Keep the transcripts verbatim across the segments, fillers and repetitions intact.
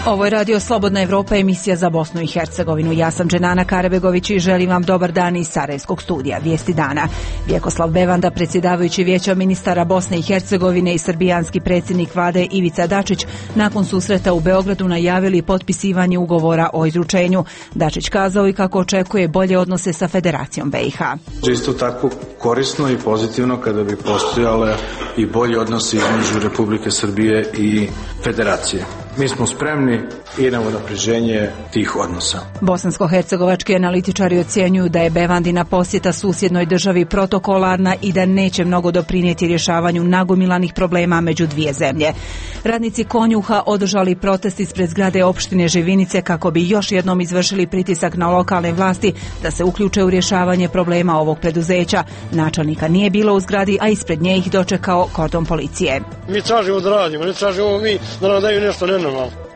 Ovo je Radio Slobodna Evropa, emisija za Bosnu i Hercegovinu. Ja sam Dženana Karabegović i želim vam dobar dan iz Sarajevskog studija. Vijesti dana. Vjekoslav Bevanda, predsjedavajući Vijećem ministara Bosne i Hercegovine i srbijanski predsjednik vlade Ivica Dačić, nakon susreta u Beogradu najavili potpisivanje ugovora o izručenju. Dačić kazao i kako očekuje bolje odnose sa Federacijom B i H. Isto tako korisno i pozitivno kada bi postojale i bolji odnosi između Republike Srbije i Federacije. Mi smo spremni i na unapređenje tih odnosa. Bosansko-hercegovački analitičari ocjenjuju da je Bevandina posjeta susjednoj državi protokolarna i da neće mnogo doprinijeti rješavanju nagomilanih problema među dvije zemlje. Radnici Konjuha održali protest ispred zgrade opštine Živinice kako bi još jednom izvršili pritisak na lokalne vlasti da se uključe u rješavanje problema ovog preduzeća. Načelnika nije bilo u zgradi, a ispred nje ih dočekao kordon policije. Mi tražimo da radimo, ne tražimo mi da nam daju nešto nenormalno.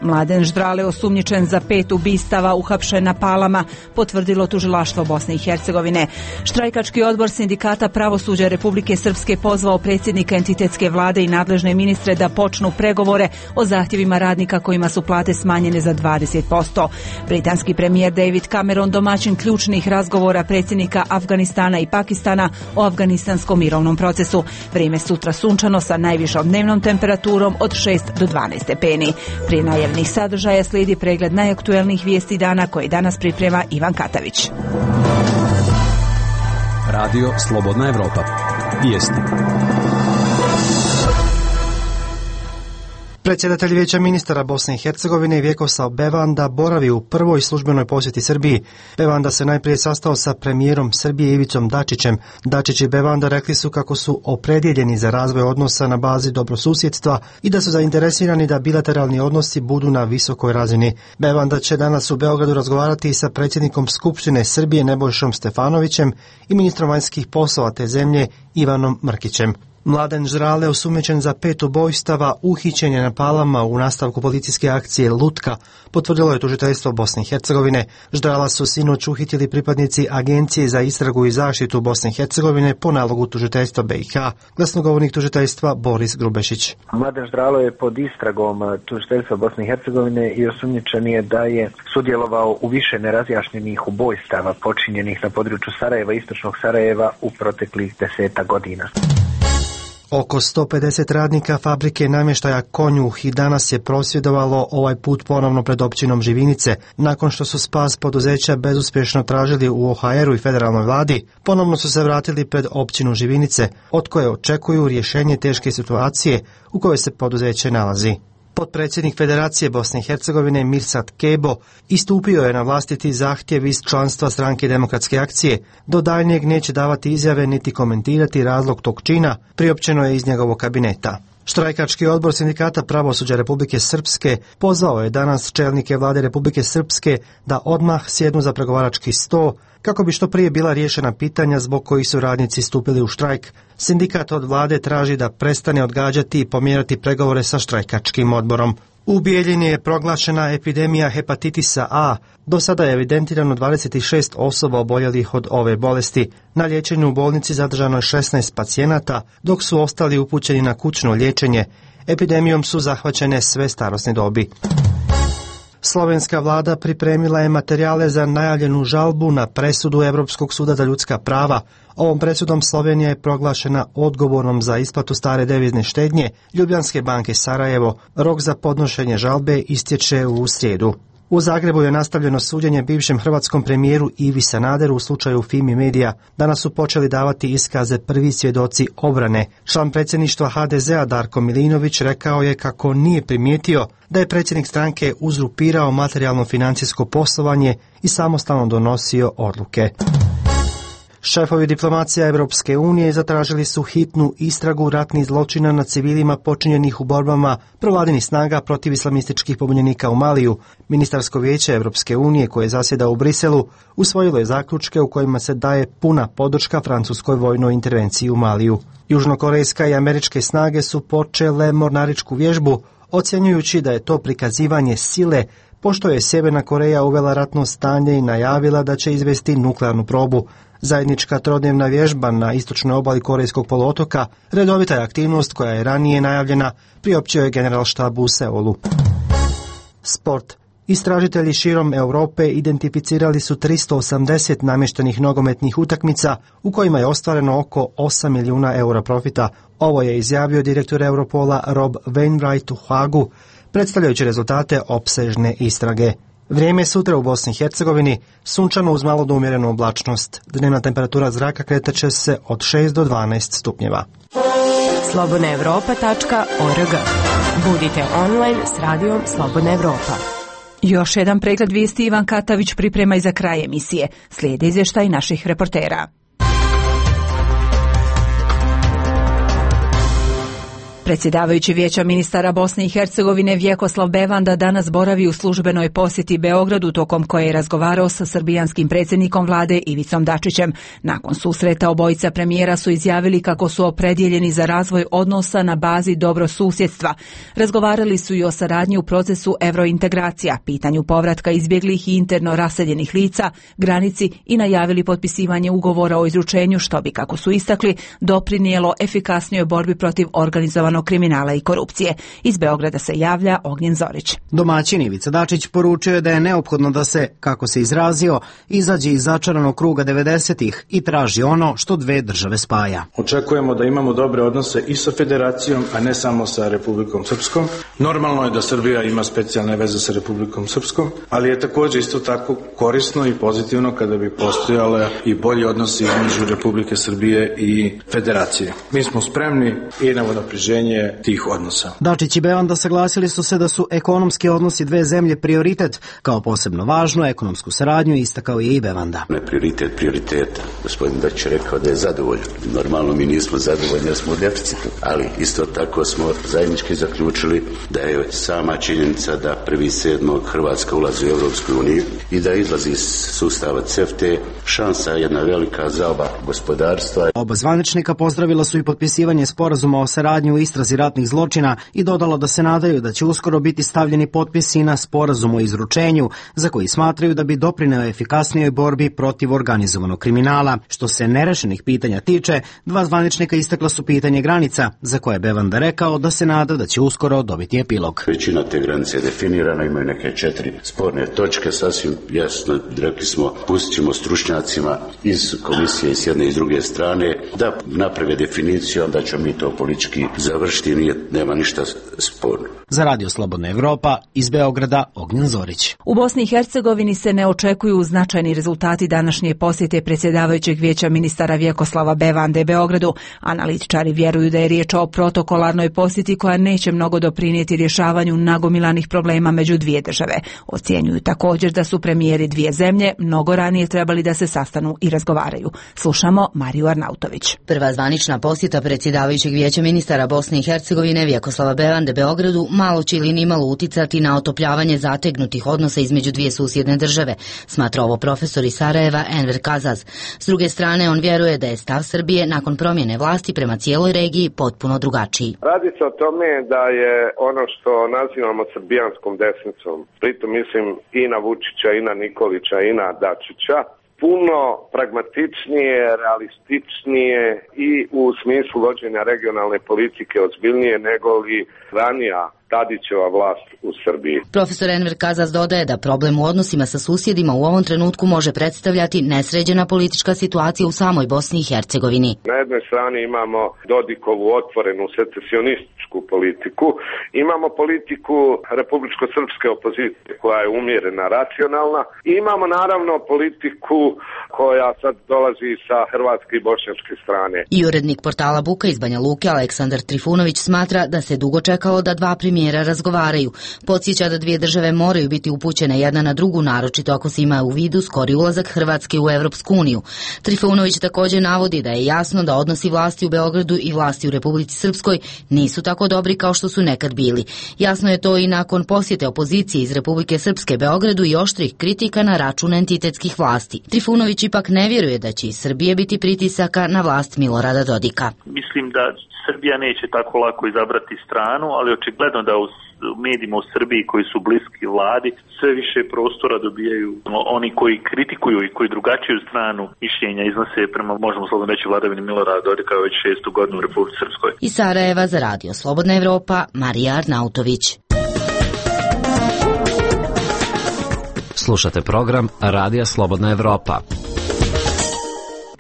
Mladen Ždrale, osumnjičen za pet ubistava, uhapšen na Palama, potvrdilo tužilaštvo Bosne i Hercegovine. Štrajkački odbor sindikata pravosuđa Republike Srpske pozvao predsjednika entitetske vlade i nadležne ministre da počnu pregovore o zahtjevima radnika kojima su plate smanjene za dvadeset posto. Britanski premijer David Cameron domaćin ključnih razgovora predsjednika Afganistana i Pakistana o afganistanskom mirovnom procesu. Vrijeme sutra sunčano sa najvišom dnevnom temperaturom od šest do dvanaest stepeni. Prije najavnih sadržaja slijedi pregled najaktuelnijih vijesti dana koje danas priprema Ivan Katavić. Radio Slobodna Evropa. Vijesti. Predsjedatelj Vijeća ministara Bosne i Hercegovine Vjekoslav Bevanda boravi u prvoj službenoj posjeti Srbiji. Bevanda se najprije sastao sa premijerom Srbije Ivicom Dačićem. Dačić i Bevanda rekli su kako su opredjeljeni za razvoj odnosa na bazi dobrosusjedstva i da su zainteresirani da bilateralni odnosi budu na visokoj razini. Bevanda će danas u Beogradu razgovarati sa predsjednikom Skupštine Srbije Nebojšom Stefanovićem i ministrom vanjskih poslova te zemlje Ivanom Mrkićem. Mladen Ždrale, osumnjičen za pet ubojstava, uhićen je na Palama u nastavku policijske akcije Lutka, potvrdilo je tužiteljstvo Bosne i Hercegovine. Ždrala su sinoć uhitili pripadnici Agencije za istragu i zaštitu Bosne i Hercegovine po nalogu tužiteljstva B i H. Glasnogovornik tužiteljstva Boris Grubešić. Mladen Ždralo je pod istragom tužiteljstva Bosne i Hercegovine i osumnjičen je da je sudjelovao u više nerazjašnjenih ubojstava počinjenih na području Sarajeva i istočnog Sarajeva u proteklih deseta godina. Oko sto pedeset radnika fabrike namještaja Konjuh i danas je prosvjedovalo, ovaj put ponovno pred općinom Živinice. Nakon što su spas poduzeća bezuspješno tražili u O H R-u i federalnoj vladi, ponovno su se vratili pred općinu Živinice, od koje očekuju rješenje teške situacije u kojoj se poduzeće nalazi. Potpredsjednik Federacije Bosne i Hercegovine Mirsad Kebo istupio je na vlastiti zahtjev iz članstva Stranke demokratske akcije. Do daljnjeg neće davati izjave niti komentirati razlog tog čina, priopćeno je iz njegovog kabineta. Štrajkački odbor sindikata pravosuđa Republike Srpske pozvao je danas čelnike vlade Republike Srpske da odmah sjednu za pregovarački sto kako bi što prije bila riješena pitanja zbog kojih su radnici stupili u štrajk. Sindikat od vlade traži da prestane odgađati i pomjerati pregovore sa štrajkačkim odborom. U Bijeljini je proglašena epidemija hepatitisa A. Do sada je evidentirano dvadeset šest osoba oboljelih od ove bolesti. Na liječenju u bolnici zadržano je šesnaest pacijenata, dok su ostali upućeni na kućno liječenje. Epidemijom su zahvaćene sve starosne dobi. Slovenska vlada pripremila je materijale za najavljenu žalbu na presudu Europskog suda za ljudska prava. Ovom presudom Slovenija je proglašena odgovornom za isplatu stare devizne štednje Ljubljanske banke Sarajevo. Rok za podnošenje žalbe istječe u srijedu. U Zagrebu je nastavljeno suđenje bivšem hrvatskom premijeru Ivi Sanaderu u slučaju Fimi Medija. Danas su počeli davati iskaze prvi svjedoci obrane. Član predsjedništva H D Z-a Darko Milinović rekao je kako nije primijetio da je predsjednik stranke uzurpirao materijalno financijsko poslovanje i samostalno donosio odluke. Šefovi diplomacija Europske unije zatražili su hitnu istragu ratnih zločina nad civilima počinjenih u borbama provladinih snaga protiv islamističkih pobunjenika u Maliju. Ministarsko vijeće Europske unije, koje zasjeda u Briselu, usvojilo je zaključke u kojima se daje puna podrška francuskoj vojnoj intervenciji u Maliju. Južnokorejska i američke snage su počele mornaričku vježbu, ocjenjujući da je to prikazivanje sile, pošto je Sjeverna Koreja uvela ratno stanje i najavila da će izvesti nuklearnu probu. Zajednička trodnevna vježba na istočnoj obali Korejskog poluotoka redovita je aktivnost koja je ranije najavljena, priopćio je generalštab u Seulu. Sport. Istražitelji širom Europe identificirali su tristo osamdeset namještenih nogometnih utakmica u kojima je ostvareno oko osam milijuna eura profita. Ovo je izjavio direktor Europola Rob Wainwright u Hagu, predstavljajući rezultate opsežne istrage. Vrijeme je sutra u Bosni i Hercegovini, sunčano uz malo do umjerenu oblačnost. Dnevna temperatura zraka kretat će se od šest do dvanaest stupnjeva. slobodna evropa tačka org. Budite online s radijom Slobodna Evropa. Još jedan pregled vijesti Ivan Katavić priprema i za kraj emisije. Slijede izvještaj naših reportera. Predsjedavajući Vijeća ministara Bosne i Hercegovine Vjekoslav Bevanda danas boravi u službenoj posjeti Beogradu, tokom koje je razgovarao sa srbijanskim predsjednikom vlade Ivicom Dačićem. Nakon susreta obojica premijera su izjavili kako su opredjeljeni za razvoj odnosa na bazi dobrosusjedstva. Razgovarali su i o saradnji u procesu evrointegracija, pitanju povratka izbjeglih i interno raseljenih lica, granici i najavili potpisivanje ugovora o izručenju, što bi, kako su istakli, doprinijelo efikasnijoj borbi protiv organizovanog kriminala i korupcije. Iz Beograda se javlja Ognjen Zorić. Domaćin Ivica Dačić poručio je da je neophodno da se, kako se izrazio, izađe iz začaranog kruga devedesetih i traži ono što dve države spaja. Očekujemo da imamo dobre odnose i sa Federacijom, a ne samo sa Republikom Srpskom. Normalno je da Srbija ima specijalne veze sa Republikom Srpskom, ali je također isto tako korisno i pozitivno kada bi postojale i bolji odnosi između Republike Srbije i Federacije. Mi smo spremni i na unapređenje tih odnosa. Dačić i Bevanda saglasili su se da su ekonomski odnosi dve zemlje prioritet. Kao posebno važnu ekonomsku saradnju istakao je i Bevanda. Ne prioritet prioriteta. Gospodin Dačić je rekao da je zadovoljan. Normalno mi nismo zadovoljni jer smo u deficitu, ali isto tako smo zajednički zaključili da je sama činjenica da prvi sedmog Hrvatska ulazi u Europsku uniju i da izlazi iz sustava C E F T A šansa jedna velika za oba gospodarstva. Oba zvaničnika pozdravila su i potpisivanje sporazuma o saradnji u istrazi ratnih zločina i dodalo da se nadaju da će uskoro biti stavljeni potpisi na sporazum o izručenju, za koji smatraju da bi doprineo efikasnijoj borbi protiv organizovanog kriminala. Što se nerešenih pitanja tiče, dva zvaničnika istakla su pitanje granica, za koje je Bevanda rekao da se nada da će uskoro dobiti epilog. Većina te granice je definirana, imaju neke četiri sporne točke, sasvim jasno rekli smo, pustit ćemo stručnjacima iz komisije s jedne i s druge strane da naprave definiciju, onda ćemo mi to politički završiti, nije, nema ništa sporno. Za Radio Slobodna Evropa iz Beograda Ognjen Zorić. U Bosni i Hercegovini se ne očekuju značajni rezultati današnje posjete predsjedavajućeg Vijeća ministara Vjekoslava Bevande Beogradu. Analitičari vjeruju da je riječ o protokolarnoj posjeti koja neće mnogo doprinijeti rješavanju nagomilanih problema među dvije države. Ocjenjuju također da su premijeri dvije zemlje mnogo ranije trebali da se sastanu i razgovaraju. Slušamo Mariju Arnautović. Prva zvanična posjeta predsjedavajućeg Vijeća ministara Bosne i Hercegovine Vjekoslava Bevande Beogradu malo će ili nimalo uticati na otopljavanje zategnutih odnosa između dvije susjedne države, smatra ovo profesor iz Sarajeva Enver Kazaz. S druge strane, on vjeruje da je stav Srbije nakon promjene vlasti prema cijeloj regiji potpuno drugačiji. Radi se o tome da je ono što nazivamo srbijanskom desnicom, pritom mislim i na Vučića, i na Nikolića, i na Dačića, puno pragmatičnije, realističnije i u smislu vođenja regionalne politike ozbiljnije nego li ranija Tadićeva vlast u Srbiji. Profesor Enver Kazaz dodaje da problem u odnosima sa susjedima u ovom trenutku može predstavljati nesređena politička situacija u samoj Bosni i Hercegovini. Na jednoj strani imamo Dodikovu otvorenu secesionističku politiku, imamo politiku republičko-srpske opozicije koja je umjerena, racionalna, i imamo naravno politiku koja sad dolazi sa hrvatske i bošnjačke strane. I urednik portala Buka iz Banja Luke Aleksandar Trifunović smatra da se dugo čekalo da dva premijera razgovaraju. Podsjeća da dvije države moraju biti upućene jedna na drugu, naročito ako se ima u vidu skori ulazak Hrvatske u Evropsku uniju. Trifunović također navodi da je jasno da odnosi vlasti u Beogradu i vlasti u Republici Srpskoj nisu tako dobri kao što su nekad bili. Jasno je to i nakon posjete opozicije iz Republike Srpske Beogradu i oštrih kritika na račun entitetskih vlasti. Trifunović ipak ne vjeruje da će iz Srbije biti pritisaka na vlast Milorada Dodika. Mislim da Srbija neće tako lako izabrati stranu, ali očigledno da u medijima u Srbiji koji su bliski vladi sve više prostora dobijaju oni koji kritikuju i koji drugačiju stranu mišljenja iznose prema, možemo slobodno reći, vladavini Milorada Dodika već šestu godinu u Republici Srpskoj. Iz Sarajeva za Radio Slobodna Evropa, Marija Arnautović. Slušate program Radija Slobodna Evropa.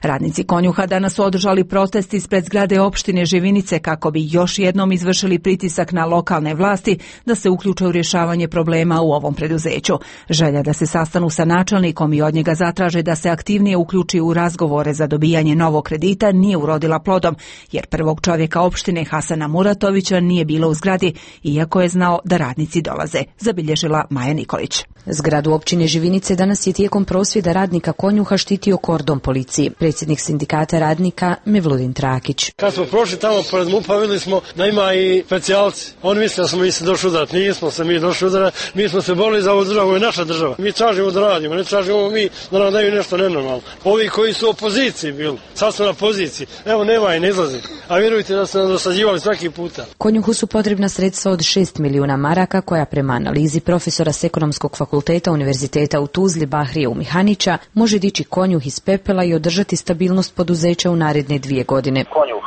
Radnici Konjuha danas su održali protest ispred zgrade opštine Živinice kako bi još jednom izvršili pritisak na lokalne vlasti da se uključe u rješavanje problema u ovom preduzeću. Želja da se sastanu sa načelnikom i od njega zatraže da se aktivnije uključi u razgovore za dobijanje novog kredita nije urodila plodom, jer prvog čovjeka opštine Hasana Muratovića nije bilo u zgradi, iako je znao da radnici dolaze, zabilježila Maja Nikolić. Zgradu općine Živinice danas je tijekom prosvjeda radnika Konjuha štitio kordon policije. Predsjednik sindikata radnika Mevludin Trakić. Kad smo prošli tamo pored MUP-a, vidjeli smo da ima i specijalci. Oni misle da smo mi se došli udarati. Nismo se mi došli udarati. Mi smo se borili za ovu državu, ovo je naša država. Mi tražimo da radimo, ne tražimo mi da nam daju nešto nenormalno. Ovi koji su u opoziciji bili, sad smo na poziciji. Evo nema i ne izlazi. A vjerujte da su nas dosađivali svaki puta. Konjuhu su potrebna sredstva od šest milijuna maraka koja prema analizi profesora s ekonomskog fakulteta Univerziteta u Tuzli Bahrije Umihanića može dići Konjuh iz pepela i održati stabilnost poduzeća u naredne dvije godine. Konjuh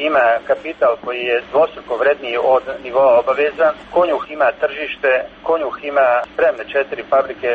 ima kapital koji je dvostruko vredniji od nivoa obaveza. Konjuh ima tržište, Konjuh ima spremne četiri fabrike,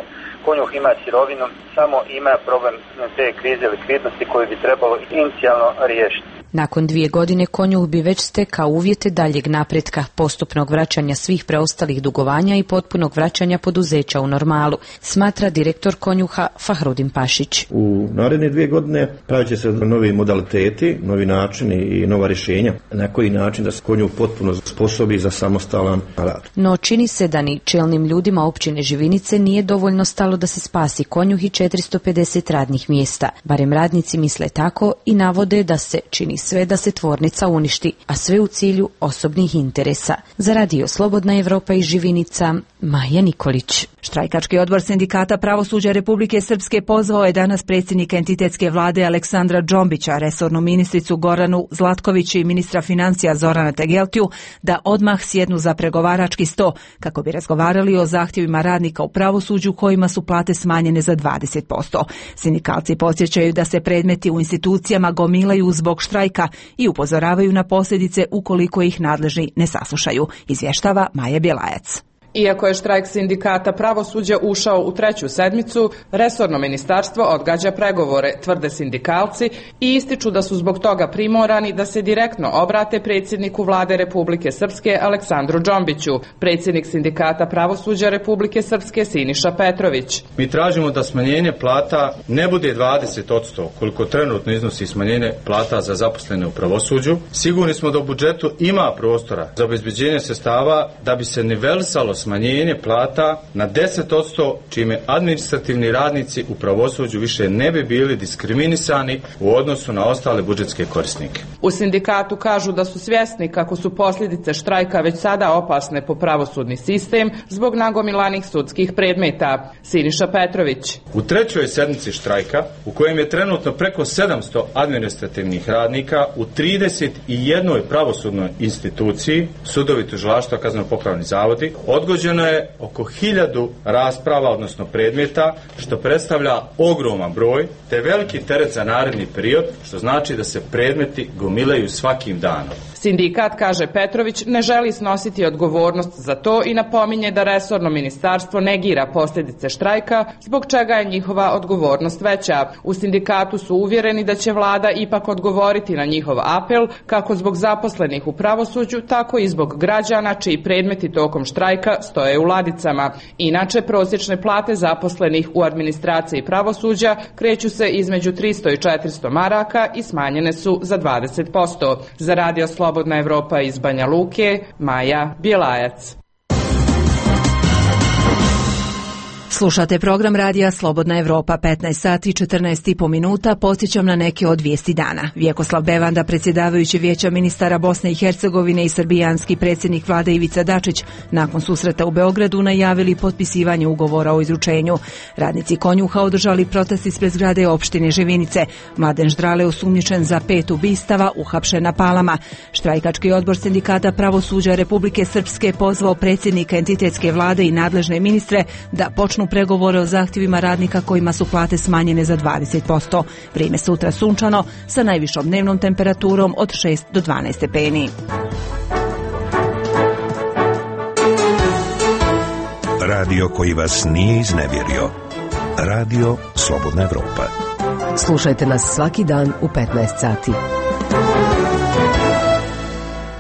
Konjuh ima sirovinu, samo ima problem te krize likvidnosti koju bi trebalo inicijalno riješiti. Nakon dvije godine Konjuh bi već stekao uvjete daljeg napretka, postupnog vraćanja svih preostalih dugovanja i potpunog vraćanja poduzeća u normalu, smatra direktor Konjuha Fahrudin Pašić. U naredne dvije godine pravit će se novi modaliteti, novi načini i nova rješenja. Na koji način da se Konjuh potpuno sposobi za samostalan rad. No čini se da ni čelnim ljudima općine Živinice nije dovoljno stalo da se spasi Konjuh i četiristo pedeset radnih mjesta. Barem radnici misle tako i navode da se čini sve da se tvornica uništi, a sve u cilju osobnih interesa. Za Radio Slobodna Evropa iz Živinica, Maja Nikolić. Štrajkački odbor sindikata pravosuđa Republike Srpske pozvao je danas predsjednika entitetske vlade Aleksandra Džombića, resornu ministricu Goranu Zlatković i ministra financija Zorana Tegeltiju da odmah sjednu za pregovarački sto kako bi razgovarali o zahtjevima radnika u pravosuđu kojima su plate smanjene za dvadeset posto. Sindikalci podsjećaju da se predmeti u institucijama gomilaju zbog štrajka i upozoravaju na posljedice ukoliko ih nadležni ne saslušaju, izvještava Maja Bjelajac. Iako je štrajk sindikata pravosuđa ušao u treću sedmicu, resorno ministarstvo odgađa pregovore, tvrde sindikalci, i ističu da su zbog toga primorani da se direktno obrate predsjedniku vlade Republike Srpske Aleksandru Džombiću. Predsjednik sindikata pravosuđa Republike Srpske Siniša Petrović. Mi tražimo da smanjenje plata ne bude dvadeset posto koliko trenutno iznosi smanjenje plata za zaposlene u pravosuđu. Sigurni smo da u budžetu ima prostora za obezbeđenje sredstava da bi se nivelisalo smanjenje plata na deset posto, čime administrativni radnici u pravosuđu više ne bi bili diskriminisani u odnosu na ostale budžetske korisnike. U sindikatu kažu da su svjesni kako su posljedice štrajka već sada opasne po pravosudni sistem zbog nagomilanih sudskih predmeta. Siniša Petrović. U trećoj sedmici štrajka, u kojem je trenutno preko sedamsto administrativnih radnika u trideset jednoj pravosudnoj instituciji, sudovi, tužilaštva, kazneno-popravni zavodi, odgođeno je oko hiljadu rasprava, odnosno predmeta, što predstavlja ogroman broj, te veliki teret za naredni period, što znači da se predmeti gomilaju svakim danom. Sindikat, kaže Petrović, ne želi snositi odgovornost za to i napominje da resorno ministarstvo negira posljedice štrajka, zbog čega je njihova odgovornost veća. U sindikatu su uvjereni da će vlada ipak odgovoriti na njihov apel, kako zbog zaposlenih u pravosuđu, tako i zbog građana čiji predmeti tokom štrajka stoje u ladicama. Inače, prosječne plate zaposlenih u administraciji pravosuđa kreću se između tristo i četiristo maraka i smanjene su za dvadeset posto. Za Radio Slobodna Evropa iz Banja Luke, Maja Bjelajac. Slušate program Radija Slobodna Evropa, petnaest sati i četrnaest i po minuta. Podsjećam na neke od vijesti dana. Vjekoslav Bevanda, predsjedavajući Vijeća ministara Bosne i Hercegovine, i srbijanski predsjednik vlade Ivica Dačić nakon susreta u Beogradu najavili potpisivanje ugovora o izručenju. Radnici Konjuha održali protest ispred zgrade opštine Živinice. Mladen Ždrale, osumnjičen za pet ubistava, uhapšen na Palama. Štrajkački odbor sindikata pravosuđa Republike Srpske pozvao predsjednika entitetske vlade i nadležne ministre da počnu pregovore o zahtjevima radnika kojima su plate smanjene za dvadeset posto. Vrijeme sutra sunčano sa najvišom dnevnom temperaturom od šest do dvanaest stepeni. radio koji vas nije iznevjerio. Radio Slobodna Evropa. Slušajte nas svaki dan u petnaest sati.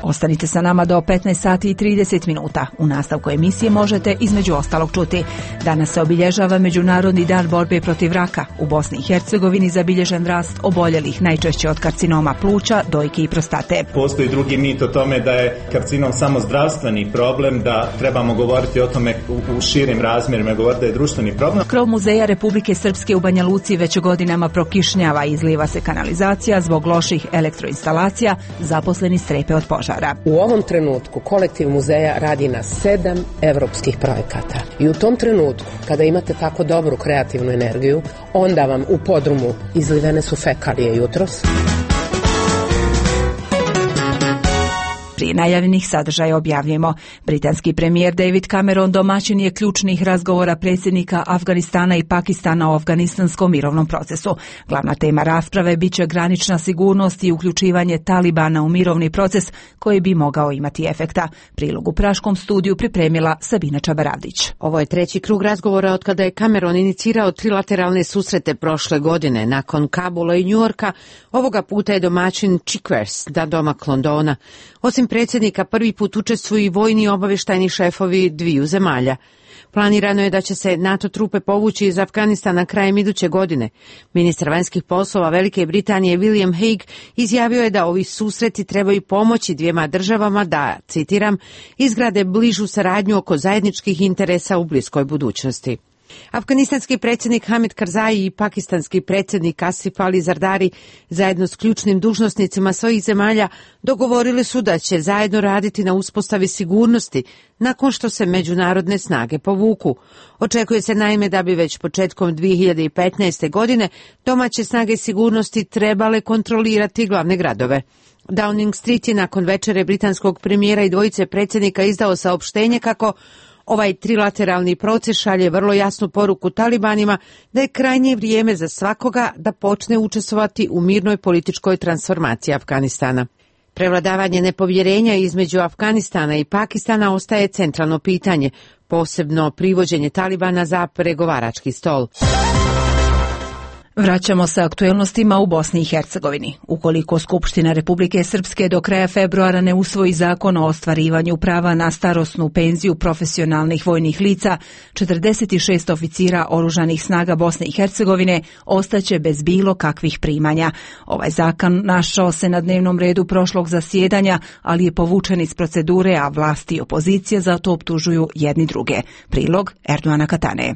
Ostanite sa nama do petnaest sati i trideset minuta. U nastavku emisije možete između ostalog čuti. Danas se obilježava Međunarodni dan borbe protiv raka. U Bosni i Hercegovini zabilježen rast oboljelih najčešće od karcinoma pluća, dojke i prostate. Postoji drugi mit o tome da je karcinom samo zdravstveni problem, da trebamo govoriti o tome u, u širim razmjerima, govoriti da je društveni problem. Krov Muzeja Republike Srpske u Banja Luci već godinama prokišnjava i izliva se kanalizacija zbog loših elektroinstalacija, zaposleni strepe od požara. U ovom trenutku kolektiv muzeja radi na sedam evropskih projekata. I u tom trenutku, kada imate tako dobru kreativnu energiju, onda vam u podrumu izlivene su fekalije jutros. Prije najavljenih sadržaja objavljujemo. Britanski premijer David Cameron domaćin je ključnih razgovora predsjednika Afganistana i Pakistana o afganistanskom mirovnom procesu. Glavna tema rasprave bit će granična sigurnost i uključivanje Talibana u mirovni proces koji bi mogao imati efekta. Prilog u Praškom studiju pripremila Sabina Čabaravdić. Ovo je treći krug razgovora od kada je Cameron inicirao trilateralne susrete prošle godine. Nakon Kabula i Njujorka, ovoga puta je domaćin Chikwers, da domak Londona. Osim predsjednika, prvi put učestvuju i vojni obavještajni šefovi dviju zemalja. Planirano je da će se NATO trupe povući iz Afganistana krajem iduće godine. Ministar vanjskih poslova Velike Britanije William Hague izjavio je da ovi susreti trebaju pomoći dvijema državama da, citiram, izgrade bližu saradnju oko zajedničkih interesa u bliskoj budućnosti. Afganistanski predsjednik Hamid Karzai i pakistanski predsjednik Asif Ali Zardari zajedno s ključnim dužnosnicima svojih zemalja dogovorili su da će zajedno raditi na uspostavi sigurnosti nakon što se međunarodne snage povuku. Očekuje se naime da bi već početkom dvije hiljade petnaeste. godine domaće snage sigurnosti trebale kontrolirati glavne gradove. Downing Street je nakon večere britanskog premijera i dvojice predsjednika izdao saopštenje kako ovaj trilateralni proces šalje vrlo jasnu poruku Talibanima da je krajnje vrijeme za svakoga da počne učestvovati u mirnoj političkoj transformaciji Afganistana. Prevladavanje nepovjerenja između Afganistana i Pakistana ostaje centralno pitanje, posebno privođenje Talibana za pregovarački stol. Vraćamo se aktuelnostima u Bosni i Hercegovini. Ukoliko Skupština Republike Srpske do kraja februara ne usvoji zakon o ostvarivanju prava na starosnu penziju profesionalnih vojnih lica, četrdeset šest oficira oružanih snaga Bosne i Hercegovine ostaće bez bilo kakvih primanja. Ovaj zakon našao se na dnevnom redu prošlog zasjedanja, ali je povučen iz procedure, a vlasti i opozicija za to optužuju jedni druge. Prilog Erdoana Katane.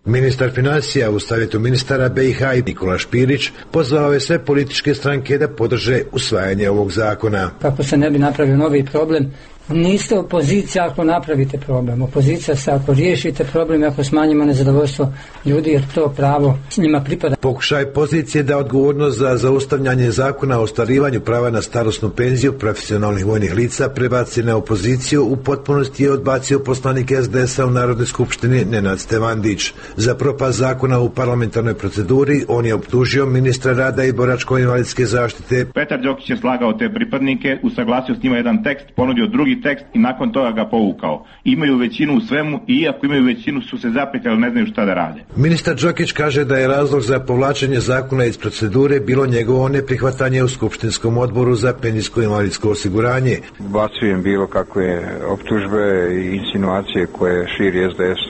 Ministar financija u savjetu ministara B i H Nikola Špirić pozvao je sve političke stranke da podrže usvajanje ovog zakona. Kako se ne bi napravio novi problem, niste opozicija ako napravite problem. Opozicija se ako riješite problem, ako smanjimo nezadovoljstvo ljudi, jer to pravo s njima pripada. Pokušaj pozicije da odgovornost za zaustavljanje zakona o ostvarivanju prava na starosnu penziju profesionalnih vojnih lica prebaci na opoziciju u potpunosti je odbacio poslanik S D S-a u Narodnoj skupštini Nenad Stevandić. Za propast zakona u parlamentarnoj proceduri on je optužio ministra rada i boračko-invalidske zaštite. Petar Đokić je slagao te pripadnike, usaglasio s njima jedan tekst, ponudio drugi tekst i nakon toga ga povukao. Imaju većinu u svemu i iako imaju većinu su se zapetljali, ne znaju šta da rade. Ministar Đokić kaže da je razlog za povlačenje zakona iz procedure bilo njegovo neprihvatanje u Skupštinskom odboru za penzijsko-invalidsko osiguranje. Bacujem bilo kakve optužbe i insinuacije koje širi S D S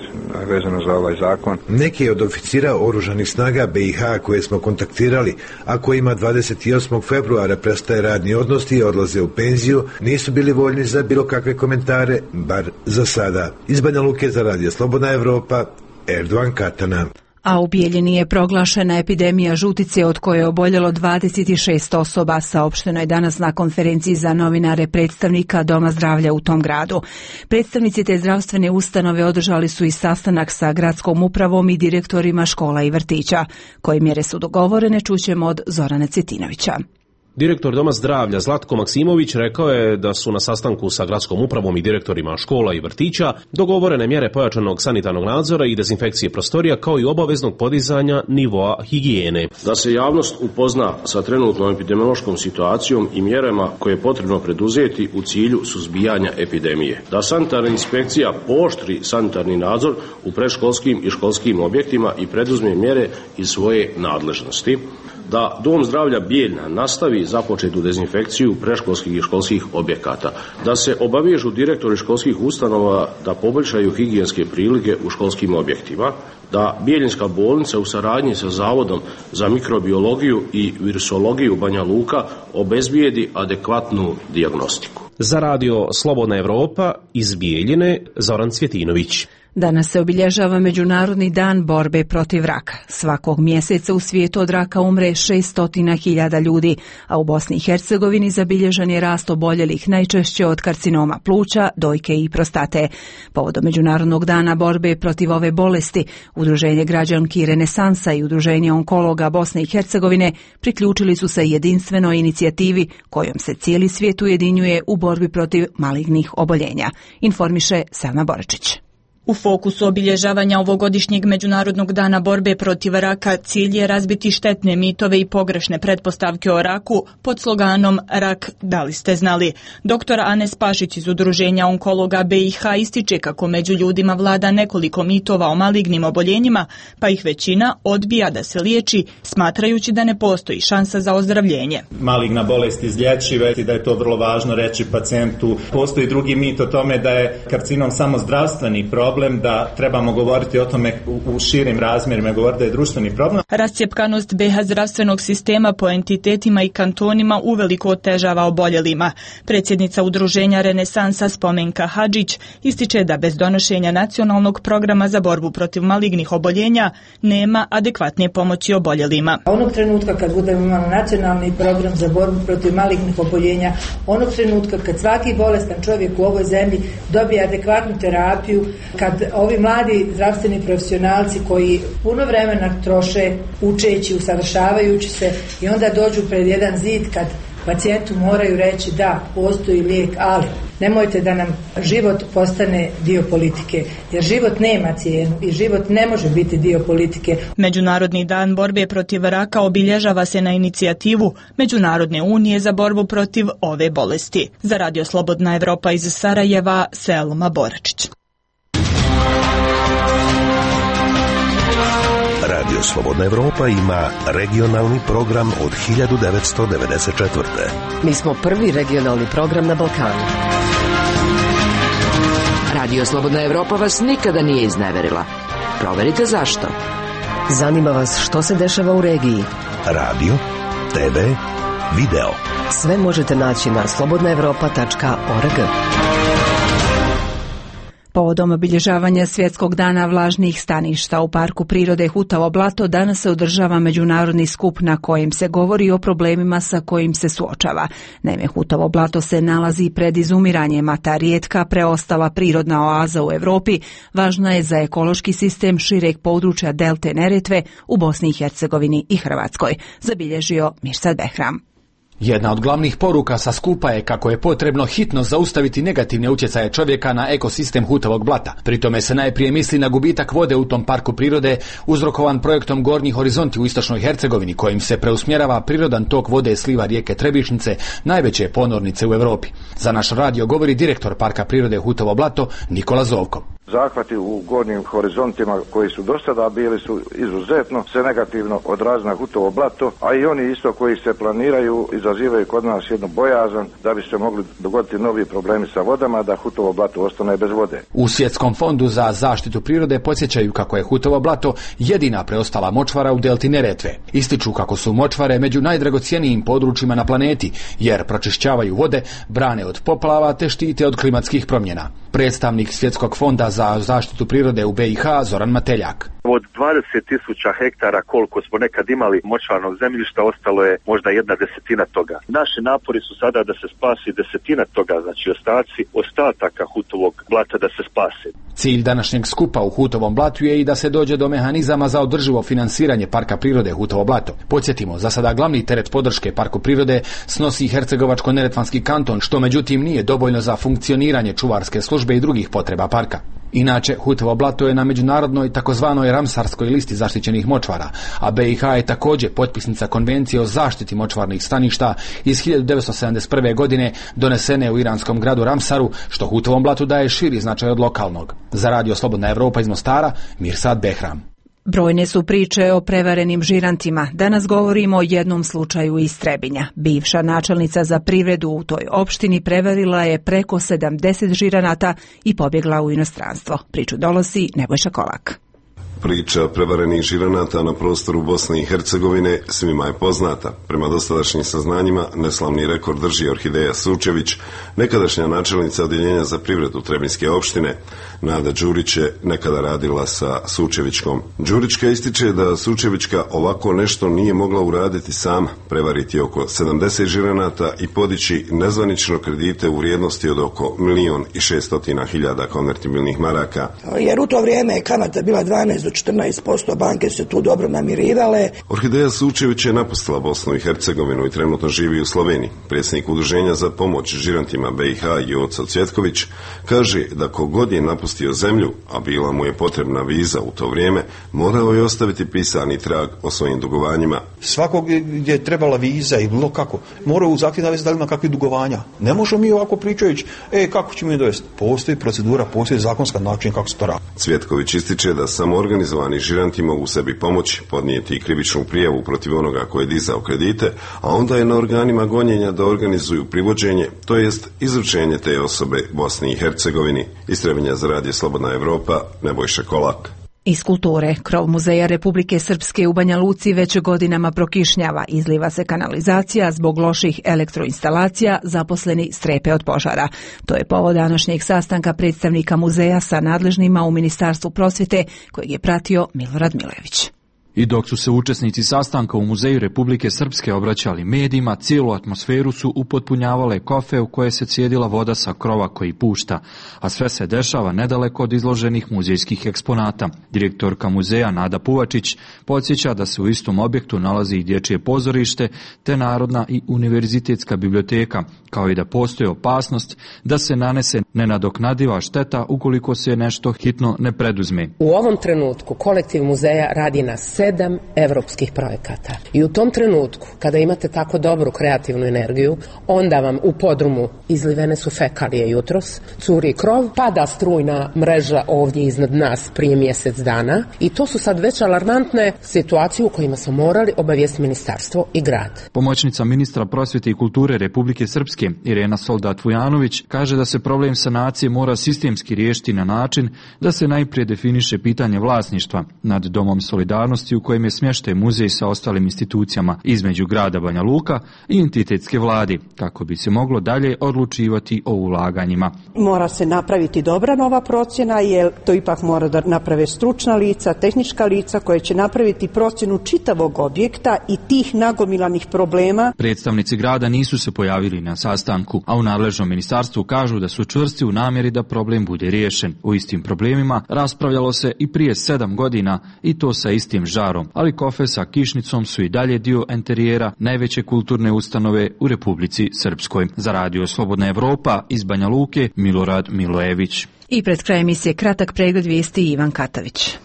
vezano za ovaj zakon. Neki od oficira oružanih snaga B i H koje smo kontaktirali, a kojima dvadeset osmog februara prestaje radni odnos i odlaze u penziju, nisu bili voljni za bilo kakve komentare, bar za sada. Iz Banja Luke za Radio Slobodna Evropa, Erdoan Katana. A u Bijeljini je proglašena epidemija žutice od koje je oboljelo dvadeset šest osoba, saopšteno je danas na konferenciji za novinare predstavnika Doma zdravlja u tom gradu. Predstavnici te zdravstvene ustanove održali su i sastanak sa gradskom upravom i direktorima škola i vrtića. Koje mjere su dogovorene čućemo od Zorana Cetinovića. Direktor Doma zdravlja Zlatko Maksimović rekao je da su na sastanku sa gradskom upravom i direktorima škola i vrtića dogovorene mjere pojačanog sanitarnog nadzora i dezinfekcije prostorija kao i obaveznog podizanja nivoa higijene. Da se javnost upozna sa trenutnom epidemiološkom situacijom i mjerama koje je potrebno preduzeti u cilju suzbijanja epidemije. Da sanitarna inspekcija pooštri sanitarni nadzor u predškolskim i školskim objektima i preduzme mjere iz svoje nadležnosti. Da Dom zdravlja Bijeljna nastavi započetu dezinfekciju predškolskih i školskih objekata, da se obavežu direktori školskih ustanova da poboljšaju higijenske prilike u školskim objektima, da Bijeljinska bolnica u saradnji sa Zavodom za mikrobiologiju i virusologiju Banja Luka obezbijedi adekvatnu dijagnostiku. Za radio Slobodna Evropa iz Bijeljine, Zoran Cvjetinović. Danas se obilježava Međunarodni dan borbe protiv raka. Svakog mjeseca u svijetu od raka umre šesto hiljada ljudi, a u Bosni i Hercegovini zabilježen je rast oboljelih najčešće od karcinoma pluća, dojke i prostate. Povodom Međunarodnog dana borbe protiv ove bolesti, Udruženje građanki Renesansa i Udruženje onkologa Bosne i Hercegovine priključili su se jedinstvenoj inicijativi kojom se cijeli svijet ujedinjuje u borbi protiv malignih oboljenja, informiše Selma Boračić. U fokusu obilježavanja ovogodišnjeg Međunarodnog dana borbe protiv raka cilj je razbiti štetne mitove i pogrešne pretpostavke o raku pod sloganom Rak, da li ste znali? Doktor Anes Pašić iz Udruženja onkologa B i H ističe kako među ljudima vlada nekoliko mitova o malignim oboljenjima, pa ih većina odbija da se liječi, smatrajući da ne postoji šansa za ozdravljenje. Maligna bolest izlječiva i da je to vrlo važno reći pacijentu. Postoji drugi mit o tome da je karcinom samo zdravstveni problem, da trebamo govoriti o tome u, u širim razmjerima, govoriti da je društveni problem. Rascjepkanost B H zdravstvenog sistema po entitetima i kantonima uveliko otežava oboljelima. Predsjednica Udruženja Renesansa Spomenka Hadžić ističe da bez donošenja nacionalnog programa za borbu protiv malignih oboljenja nema adekvatne pomoći oboljelima. Onog trenutka kad budemo imali nacionalni program za borbu protiv malignih oboljenja, onog trenutka kad svaki bolestan čovjek u ovoj zemlji dobije adekvatnu terapiju, kad ovi mladi zdravstveni profesionalci koji puno vremena troše učeći, usavršavajući se i onda dođu pred jedan zid kad pacijentu moraju reći da, postoji lijek, ali nemojte da nam život postane dio politike, jer život nema cijenu i život ne može biti dio politike. Međunarodni dan borbe protiv raka obilježava se na inicijativu Međunarodne unije za borbu protiv ove bolesti. Za radio Slobodna Evropa iz Sarajeva, Selma Boračić. Radio Slobodna Evropa ima regionalni program od hiljadu devetsto devedeset četvrte. Mi smo prvi regionalni program na Balkanu. Radio Slobodna Evropa vas nikada nije izneverila. Proverite zašto. Zanima vas što se dešava u regiji. Radio, te ve, video. Sve možete naći na slobodna evropa tačka org. Povodom obilježavanja Svjetskog dana vlažnih staništa u Parku prirode Hutavo blato danas se održava međunarodni skup na kojem se govori o problemima sa kojim se suočava. Naime, Hutavo blato se nalazi pred izumiranjem, a ta rijetka preostala prirodna oaza u Europi važna je za ekološki sistem šireg područja delte Neretve u Bosni i Hercegovini i Hrvatskoj, zabilježio Mirsad Behram. Jedna od glavnih poruka sa skupa je kako je potrebno hitno zaustaviti negativne utjecaje čovjeka na ekosistem Hutavog blata. Pri tome se najprije misli na gubitak vode u tom parku prirode uzrokovan projektom Gornji horizonti u istočnoj Hercegovini, kojim se preusmjerava prirodan tok vode sliva rijeke Trebišnice, najveće ponornice u Europi. Za naš radio govori direktor Parka prirode Hutavo blato Nikola Zovko. Zahvati u gornjim horizontima koji su do sada bili su izuzetno se negativno odrazili na Hutovo blato, a i oni isto koji se planiraju izazivaju kod nas jednu bojazan da bi se mogli dogoditi novi problemi sa vodama, da Hutovo blato ostane bez vode. U Svjetskom fondu za zaštitu prirode podsjećaju kako je Hutovo blato jedina preostala močvara u delti Neretve. Ističu kako su močvare među najdragocjenijim područjima na planeti, jer pročišćavaju vode, brane od poplava te štite od klimatskih promjena. Predstavnik Svjetskog fonda za za zaštitu prirode u B i H Zoran Mateljak. Od dvadeset tisuća hektara koliko smo nekad imali močvarnog zemljišta, ostalo je možda jedna desetina toga. Naši napori su sada da se spasi desetina toga, znači ostaci ostataka Hutovog blata da se spase. Cilj današnjeg skupa u Hutovom blatu je i da se dođe do mehanizama za održivo finansiranje Parka prirode Hutovo blato. Podsjetimo, za sada glavni teret podrške Parku prirode snosi Hercegovačko-neretvanski kanton, što međutim nije dovoljno za funkcioniranje čuvarske službe i drugih potreba parka. Inače, Hutovo blato je na međunarodnoj takozvanoj Ramsarskoj listi zaštićenih močvara, a B i H je također potpisnica konvencije o zaštiti močvarnih staništa iz hiljadu devetsto sedamdeset prve. godine donesene u iranskom gradu Ramsaru, što Hutovom blatu daje širi značaj od lokalnog. Za Radio Slobodna Evropa iz Mostara, Mirsad Behram. Brojne su priče o prevarenim žirantima. Danas govorimo o jednom slučaju iz Trebinja. Bivša načelnica za privredu u toj opštini prevarila je preko sedamdeset žiranata i pobjegla u inostranstvo. Priču donosi Nebojša Kolak. Priča prevarenih žiranata na prostoru Bosne i Hercegovine svima je poznata. Prema dosadašnjim saznanjima, neslavni rekord drži Orhideja Sučević, nekadašnja načelnica odjeljenja za privredu Trebinjske opštine. Nada Đurić je nekada radila sa Sučevićkom. Đurićka ističe da Sučevićka ovako nešto nije mogla uraditi sama, prevariti oko sedamdeset žiranata i podići nezvanično kredite u vrijednosti od oko milion i šeststotina hiljada konvertibilnih maraka. Jer u to vrijeme je kamata bila dvanaest do četrnaest posto, banke se tu dobro namirivale. Orhideja Sučević je napustila Bosnu i Hercegovinu i trenutno živi u Sloveniji. Predsjednik Udruženja za pomoć žirantima B i H Joco Cvjetković kaže da kogod je napustio zemlju, a bila mu je potrebna viza u to vrijeme, morao je ostaviti pisani trag o svojim dugovanjima. Svakog gdje je trebala viza i bilo kako, mora u zahtjev navesti da li ima kakvi dugovanja. Ne možemo mi ovako pričajući, e, kako ćemo je dovesti? Postoji procedura, postoji zakonska način kako se to radi. Cvjetković ističe da samo organizovani žiranti mogu sebi pomoći, podnijeti krivičnu prijavu protiv onoga koji je dizao kredite, a onda je na organima gonjenja da organizuju privođenje, to jest izručenje te osobe Bosni i Hercegovini. Iz Trebinja za Radio Slobodna Evropa, Nebojša Kolak. Iz kulture, krov Muzeja Republike Srpske u Banja Luci već godinama prokišnjava, izliva se kanalizacija zbog loših elektroinstalacija, zaposleni strepe od požara. To je povod današnjeg sastanka predstavnika muzeja sa nadležnima u Ministarstvu prosvjete, kojeg je pratio Milorad Milojević. I dok su se učesnici sastanka u Muzeju Republike Srpske obraćali medijima, cijelu atmosferu su upotpunjavale kofe u koje se cijedila voda sa krova koji pušta, a sve se dešava nedaleko od izloženih muzejskih eksponata. Direktorka muzeja Nada Puvačić podsjeća da se u istom objektu nalazi i dječje pozorište, te Narodna i univerzitetska biblioteka, kao i da postoji opasnost da se nanese nenadoknadiva šteta ukoliko se nešto hitno ne preduzme. U ovom trenutku kolektiv muzeja radi na sedam evropskih projekata. I u tom trenutku, kada imate tako dobru kreativnu energiju, onda vam u podrumu izlivene su fekalije jutros, curi krov, pada strujna mreža ovdje iznad nas prije mjesec dana i to su sad već alarmantne situacije u kojima smo morali obavijesti ministarstvo i grad. Pomoćnica ministra prosvjete i kulture Republike Srpske Irena Soldat-Vujanović kaže da se problem sanacije mora sistemski riješiti na način da se najprije definiše pitanje vlasništva nad Domom solidarnosti u kojem je smještaj muzej sa ostalim institucijama između grada Banja Luka i entitetske vladi, kako bi se moglo dalje odlučivati o ulaganjima. Mora se napraviti dobra nova procjena, jer to ipak mora da naprave stručna lica, tehnička lica koje će napraviti procjenu čitavog objekta i tih nagomilanih problema. Predstavnici grada nisu se pojavili na sastanku, a u nadležnom ministarstvu kažu da su čvrsti u namjeri da problem bude riješen. O istim problemima raspravljalo se i prije sedam godina i to sa istim žarom, ali kofe sa kišnicom su i dalje dio enterijera najveće kulturne ustanove u Republici Srpskoj. Za Radio Slobodna Evropa iz Banja Luke, Milorad Milojević. I pred krajem emisije kratak pregled vijesti Ivan Katavić.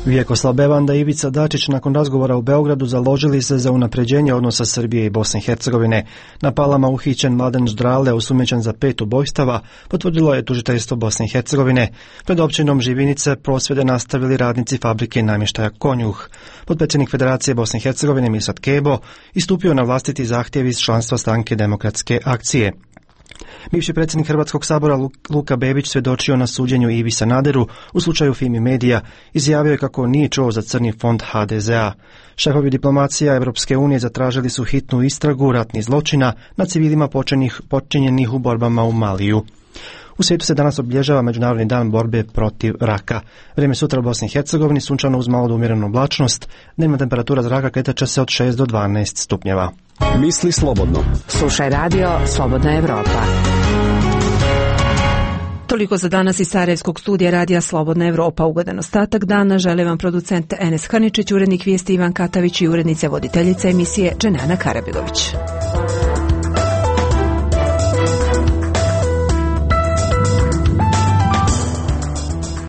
Vjekoslav Bevanda i Ivica Dačić nakon razgovora u Beogradu založili se za unapređenje odnosa Srbije i Bosne i Hercegovine. Na Palama uhićen Mladen Ždrale, osumnjičen za pet ubojstava, potvrdilo je tužiteljstvo Bosne i Hercegovine. Pred općinom Živinice prosvjede nastavili radnici fabrike namještaja Konjuh. Potpredsjednik Federacije Bosne i Hercegovine Mirsad Kebo istupio na vlastiti zahtjev iz članstva stranke Demokratske akcije. Bivši predsjednik Hrvatskog sabora Luka Bebić svjedočio na suđenju Ivi Sanaderu u slučaju Fimi Medija. Izjavio je kako nije čuo za crni fond ha de ze a. Šefovi diplomacija Europske unije zatražili su hitnu istragu ratnih zločina na civilima počinjenih u borbama u Maliju. U svijetu se danas obilježava Međunarodni dan borbe protiv raka. Vrijeme sutra u Bosni i Hercegovini sunčano uz malo do umjerenu oblačnost. Dnevna temperatura zraka kretat će se od šest do dvanaest stupnjeva. Misli slobodno. Slušaj radio Slobodna Evropa. Toliko za danas iz Sarajevskog studija radija Slobodna Evropa. Ugodan ostatak dana žele vam producent Enes Haničić, urednik vijesti Ivan Katavić i urednica voditeljica emisije Dženana Karabilović.